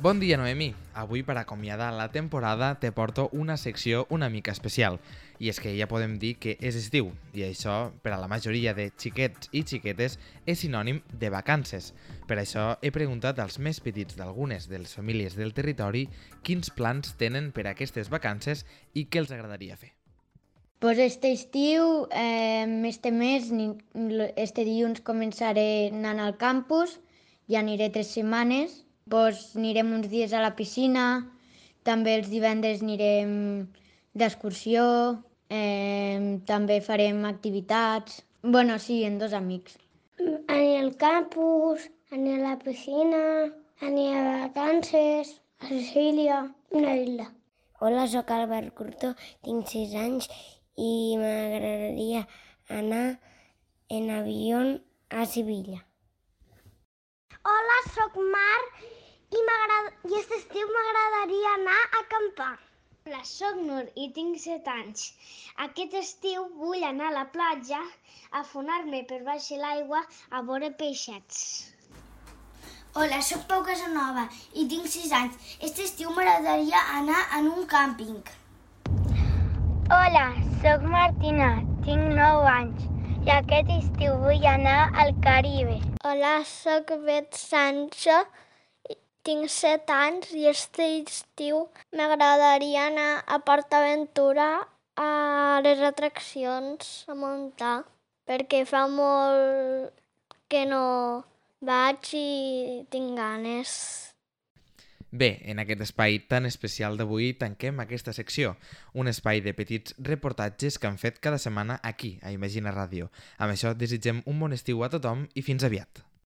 Bon dia, Noemí. Avui, per acomiadar la temporada, te porto una secció una mica especial. I és que ja podem dir que és estiu, i això, per a la majoria de xiquets i xiquetes, és sinònim de vacances. Per això he preguntat als més petits d'algunes de les famílies del territori quins plans tenen per a aquestes vacances i què els agradaria fer. Pues este estiu, este dilluns començaré anant al campus, ja aniré 3 setmanes, pues anirem uns dies a la piscina, també els divendres anirem d'excursió, també farem activitats, bueno, sí, amb 2 amics. Aniré al campus, aniré a la piscina, aniré a vacances, a Sicília, una isla. Hola, sóc Albert Curto, tinc 6 anys i m'agradaria anar en avió a Sevilla. Hola, sóc Mar i aquest estiu m'agradaria anar a acampar. Hola, sóc Nur i tinc 7 anys. Aquest estiu vull anar a la platja a afonar-me per baix l'aigua a veure peixets. Hola, sóc Pau Casanova i tinc 6 anys. Aquest estiu m'agradaria anar en un càmping. Hola, sóc Martina, tinc 9 anys i aquest estiu vull anar al Caribe. Hola, sóc Bet Sancho, tinc 7 anys i aquest estiu m'agradaria anar a PortAventura a les atraccions a muntar perquè fa molt que no vaig i tinc ganes. Bé, en aquest espai tan especial d'avui tanquem aquesta secció, un espai de petits reportatges que han fet cada setmana aquí, a Imagina Ràdio. Amb això desitgem un bon estiu a tothom i fins aviat.